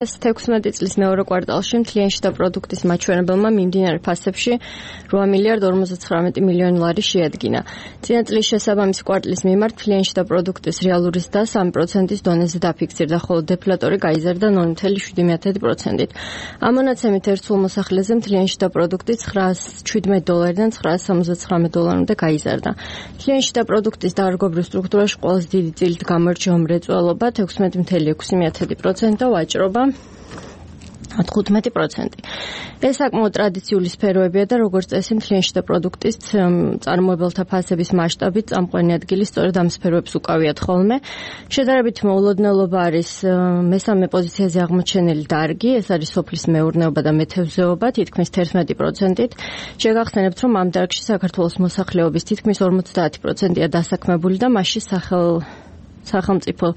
16 წლის მეორე კვარტალში მთლიანი შიდა პროდუქტის მაჩვენებელმა მიმდინარე ფასებში 8 მილიარდ 59 მილიონი ლარი შეადგინა. წინა წლის შესაბამისი კვარტლის მიმართ მთლიანი შიდა პროდუქტის რეალური ზრდა 3%-ის დონეზე დაფიქსირდა, ხოლო დეფლატორი გაიზარდა 0.7%-ით. ამ მონაცემით ერთ სულ მოსახლეზე მთლიანი შიდა პროდუქტი $917-დან $979-მდე გაიზარდა. მთლიანი შიდა პროდუქტის დარგობრივ სტრუქტურაში ყველაზე დიდი წილით გამორჩა მრეწველობა 16.6% და ვაჭრობა 15%. ეს საკმაოდ ტრადიციული სფეროებია და როგორც წესი მთლიანი შიდა პროდუქტის წარმოებელთა ფასების მასშტაბით წამყვანი ადგილი სწორედ ამ სფეროებს უკავიათ ხოლმე. შედარებით მოულოდნელობა არის მესამე პოზიციაზე აღმოჩენილი დარგი, ეს არის სოფლის მეურნეობა და მეთევზეობა თითქმის 11%-ით. შეგახსენებთ, რომ ამ დარგში საქართველოს მოსახლეობის თითქმის 50%-ია დასაქმებული და მასში სახელმწიფო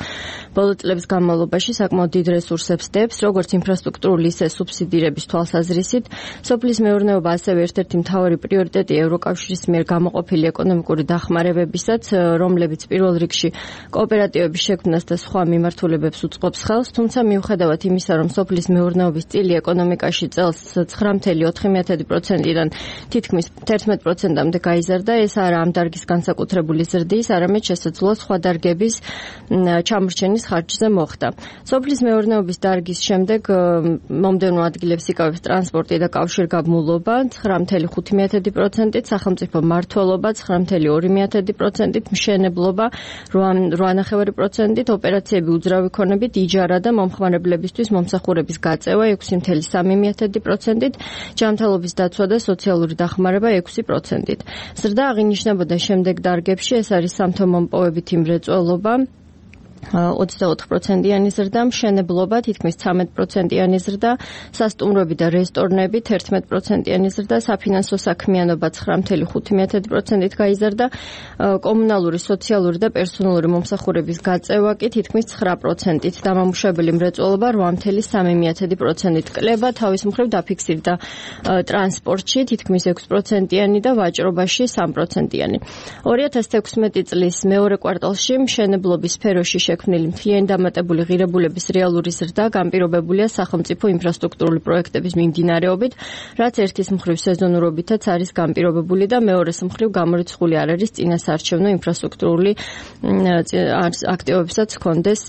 ბოლო წლების განმავლობაში საკმაოდ დიდ რესურსებს დებს, როგორც ინფრასტრუქტურული, ისე სუბსიდირების თვალსაზრისით. სოფლის მეურნეობა ასევე ერთ-ერთი მთავარი პრიორიტეტი ევროკავშირის მიერ გამოყოფილი ეკონომიკური დახმარებებისაც, რომლებიც პირველ რიგში კოოპერატივების შექმნას და სხვა მიმართულებებს უწყობს ხელს, თუმცა მიუხედავად იმისა, რომ სოფლის მეურნეობის წილი ეკონომიკაში წელს 9.4%-დან თითქმის 11%-მდე გაიზარდა, ეს არა ამ დარგის განსაკუთრებული ზრდის, არამედ შესაძლოა სხვა დარგების ჩამორჩენის ხარჯზე მოხდა. სოფლის მეურნეობის დარგის შემდეგ მომდევნო ადგილებს იკავებს ტრანსპორტი და კავშირგაბმულობა 9.5%-ით, სახელმწიფო მმართველობა 9.2%-ით, მშენებლობა 8.9%-ით, ოპერაციები უძრავი ქონებით, იჯარა და მომხმარებლებისთვის მომსახურების გაწევა 6.3%-ით, ჯანმრთელობის დაცვა და სოციალური დახმარება 6%-ით. ზრდა აღინიშნებოდა შემდეგ დარგებში, ეს არის სამთო-მომპოვებითი მრეწველობა 24%-იანი ზრდა, მშენებლობა თითქმის 13%-იანი ზრდა, სასტუმროები და რესტორნები 11%-იანი ზრდა, საფინანსო საქმიანობა 9.5%-ით გაიზარდა, კომუნალური, სოციალური და პერსონალური მომსახურების გაწევა კი თითქმის 9%-ით, დამამუშავებელი მრეწველობა 8.3%-ით. კლება თავის მხრივ დაფიქსირდა ტრანსპორტში თითქმის 6%-იანი და ვაჭრობაში 3%-იანი. 2016 წლის მეორე კვარტალში მშენებლობის სფეროში შექმნილი მთლიანი დამატებული ღირებულების რეალური ზრდა განპირობებულია სახელმწიფო ინფრასტრუქტურული პროექტების მიმდინარეობით, რაც ერთის მხრივ სეზონურობითაც არის განპირობებული და მეორეს მხრივ გამორიცხული არ არის წინასაარჩევნო ინფრასტრუქტურული აქტივობებსაც ჰქონდეს